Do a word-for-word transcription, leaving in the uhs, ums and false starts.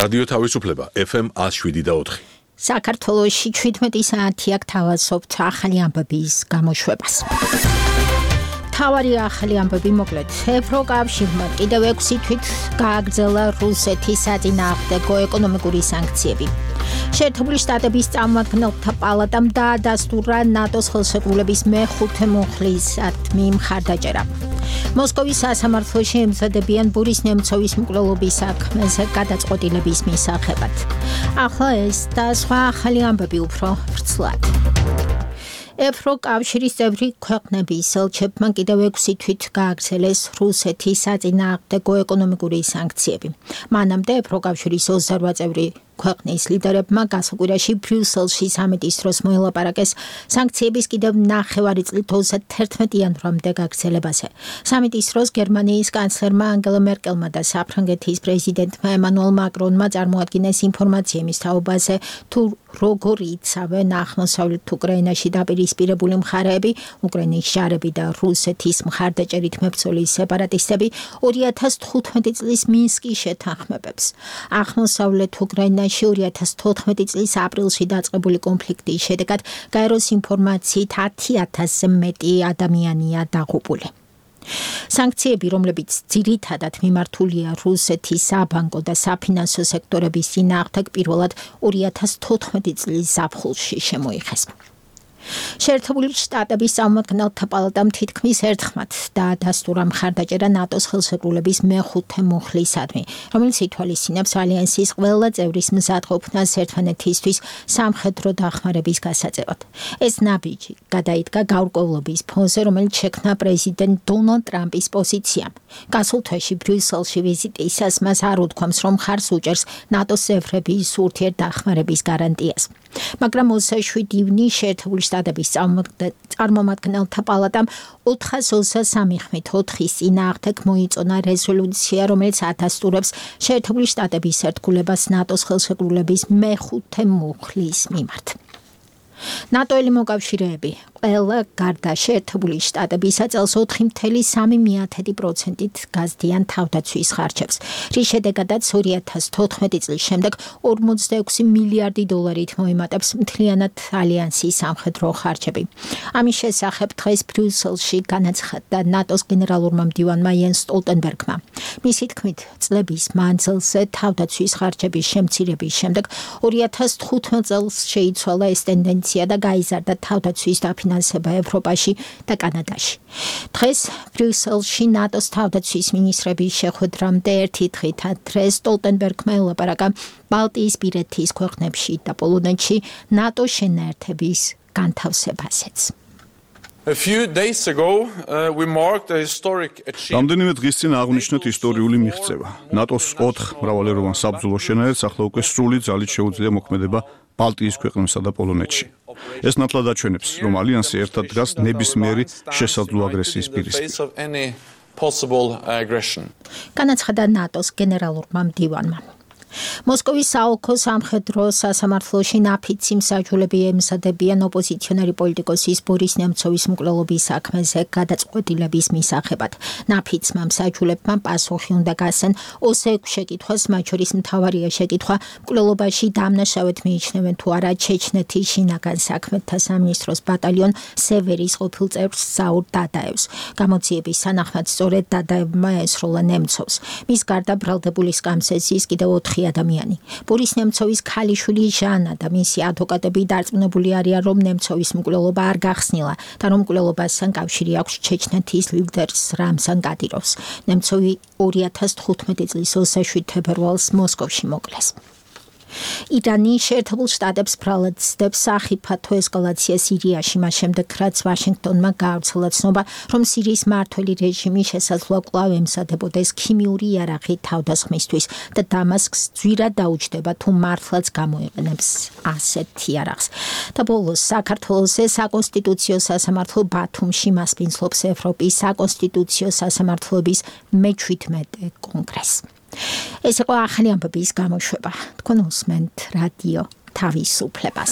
რადიო თავისუფლება F M one oh seven და four. საქართველოში შვიდმეტი საათი აქ თავაზობთ ახალი ამბების გამოშვებას. თავარი ახალი ამბები მოკლედ. ევროკავშირმა კიდევ ექვსი თვით გააგრძელა რუსეთის საწინააღმდეგო ეკონომიკური სანქციები. შეერთებული შტატების წარმომადგენელთა პალატამ დაადასტურა ნატოს ხელშეკრულების მეხუთე მუხლისადმი მხარდაჭერა. მოსკოვის სასამართლოში ემზადებიან ბორის ნემცოვის მკვლელობის საქმეზე გადაწყვეტილების მისაღებად. ახლა ეს და სხვა ახალი ამბები უფრო ვრცლად. ევროკავშირის წევრი ქვეყნების ელჩებმა კიდევ ექვსი თვით გააგრძელეს რუსეთის საწინააღმდეგო ეკონომიკური სანქციები. მანამდე ევროკავშირის ოცდაოთხ წევრი ქვეყნის ლიდერებმა გასაკვირაში ბრიუსელში სამიტის დროს მოელაპარაკეს სანქციების კიდევ ნახევარი წლით ოცდათერთმეტი იანვრამდე გაგრძელებაზე. სამიტის დროს გერმანიის კანცლერმა ანგელა მერკელმა და საფრანგეთის პრეზიდენტმა ემანუელ მაკრონმა წარმოადგინეს ინფორმაცია იმის თაობაზე, თუ როგორ იცავენ აღმოსავლეთ უკრაინაში დაპირისპირებული მხარეები, უკრაინის ჯარები და რუსეთის მხარდაჭერით მებრძოლი სეპარატისტები ორი ათას თხუთმეტი წლის მინსკის შეთანხმებებს. აღმოსავლეთ უკრაინაში ორი ათას თოთხმეტი წლის აპრილში დაწყებული კონფლიქტის შედეგად გაეროს ინფორმაციით ათი ათასზე მეტი ადამიანია დაღუპული. სანქციები, რომლებიც ძირითადად მიმართულია რუსეთის საბანკო და საფინანსო სექტორების წინააღმდეგ, პირველად ორი ათას თოთხმეტი წლის ზაფხულში შემოიღეს. შეერთებული შტატების წარმომადგენელთა პალატამ თითქმის ერთხმად დაადასტურა მხარდაჭერა ნატოს ხელშეკრულების მეხუთე მუხლისადმი, რომელიც ითვალისწინებს ალიანსის ყველა წევრის მზადყოფნას ერთმანეთისთვის სამხედრო დახმარების გასაწევად. ეს ნაბიჯი გადაიდგა გაურკვევლობის ფონზე, რომელიც შექმნა პრეზიდენტ დონალდ ტრამპის პოზიციამ. გასულ თვეში ბრიუსელში ვიზიტისას მას არ უთქვამს, რომ მხარს უჭერს ნატოს წევრების ურთიერთდახმარების გარანტიას. მაგრამ ოცდაშვიდი ივნის შეერთებული შტატების წარმომადგენელთა პალატამ ოთხას ოცდასამი ხმით ოთხის წინააღმდეგ მოიწონა რეზოლუცია, რომელიც ადასტურებს შეერთებული შტატების ერთგულებას ნატოს ხელშეკრულების მეხუთე მუხლის მიმართ. ნატოელი მოკავშირეები ყველა გარდა შეერთებული შტატებისა წელს ოთხი целых სამი პროცენტით გაზდიან თავდაცვის ხარჯებს, რის შედეგადაც ორი ათას თოთხმეტი წლის შემდეგ ორმოცდაექვსი მილიარდი დოლარით მოიმატებს მთლიანად ალიანსის სამხედრო ხარჯები. ამის შესახებ დღეს ბრიუსელში განაცხადა ნატოს გენერალურმა მდივანმა იენს სტოლტენბერგმა. მისი თქმით, წლების მანძილზე თავდაცვის ხარჯების შემცირების შემდეგ ორი ათას თხუთმეტ წელს შეიცვალა ეს ტენდენცია და გაიზარდა თავდაცვის დაფინანსება ევროპაში და კანადაში. დღეს ბრიუსელში ნატოს თავდაცვის მინისტრების შეხვედრამდე ერთი დღით ადრე სტოლტენბერგმა ელაპარაკა ბალტიისპირეთის ქვეყნებში და პოლონეთში ნატოს შენაერთების განთავსებაზეც. A few days ago, uh, we marked a historic achievement. რამდენიმე დღის წინ აღნიშნეთ ისტორიული მიღწევა. ნატოს ოთხ მრავალეროვან საბრძოლო შენაერთს ახლა უკვე სრული ძალით შეუძლია მოქმედება ბალტიის ქვეყნებსა და პოლონეთში. ეს ნათლად აჩვენებს, რომ ალიანსი ერთად დგას ნებისმიერი შესაძლო აგრესიის პირისპირ. განაცხადა ნატოს გენერალურმა მდივანმა. მოსკოვის საოლქო სამხედრო სასამართლოში ნაფიცი მსაჯულები ემზადებიან ოპოზიციონერი პოლიტიკოსის ბორის ნემცოვის მკვლელობის საქმეზე გადაწყვეტილების მისაღებად. ნაფიცმა მსაჯულებმა პასუხი უნდა გასცენ ოცდაექვსი შეკითხვას, მათ შორის მთავარია შეკითხვა მკვლელობაში დამნაშავედ მიიჩნევენ თუ არა ჩეჩნეთის შინაგან საქმეთა სამინისტროს ბატალიონ სევერის ყოფილ წევრს ზაურ დადაევს. გამოძიების სანახმად სწორედ დადაევმა ესროლა ნემცოვს. მის გარდა ბრალდებული სკამსეს ის კიდევ ოთხი ადამიანი. ბორის ნემცოვის ქალიშვილი ჟანა და მისი ადვოკატები დარწმუნებული არიან, რომ ნემცოვის მკვლელობა არ გახსნილა და რომ მკვლელობასთან კავშირი აქვს ჩეჩნეთის ლიდერს რამზან კადიროვს. ნემცოვი ორი ათას თხუთმეტი წლის ოცდაშვიდ თებერვალს მოსკოვში მოკლეს. ირანი შეერთებულ შტატებს ბრალად ცდებს სახიფათო ესკალაცია სირიაში, მას შემდეგ რაც ვაშინგტონმა გაავრცელა ცნობა, რომ სირიის მმართველი რეჟიმი შესაძლოა კვლავ ემზადებოდეს ქიმიური იარაღი თავდასხმისთვის და დამასკს ძვირად დაუჯდება, თუ მართლაც გამოიყენებს ასეთ იარაღს. და ბოლოს საქართველოს საკონსტიტუციო სასამართლო ბათუმში მასპინძლობს ევროპის საკონსტიტუციო სასამართლოების მეჩვიდმეტე კონგრესს. ეს იყო ახალი ამბების გამოშვება. თქვენ უსმენთ რადიო თავისუფლებას.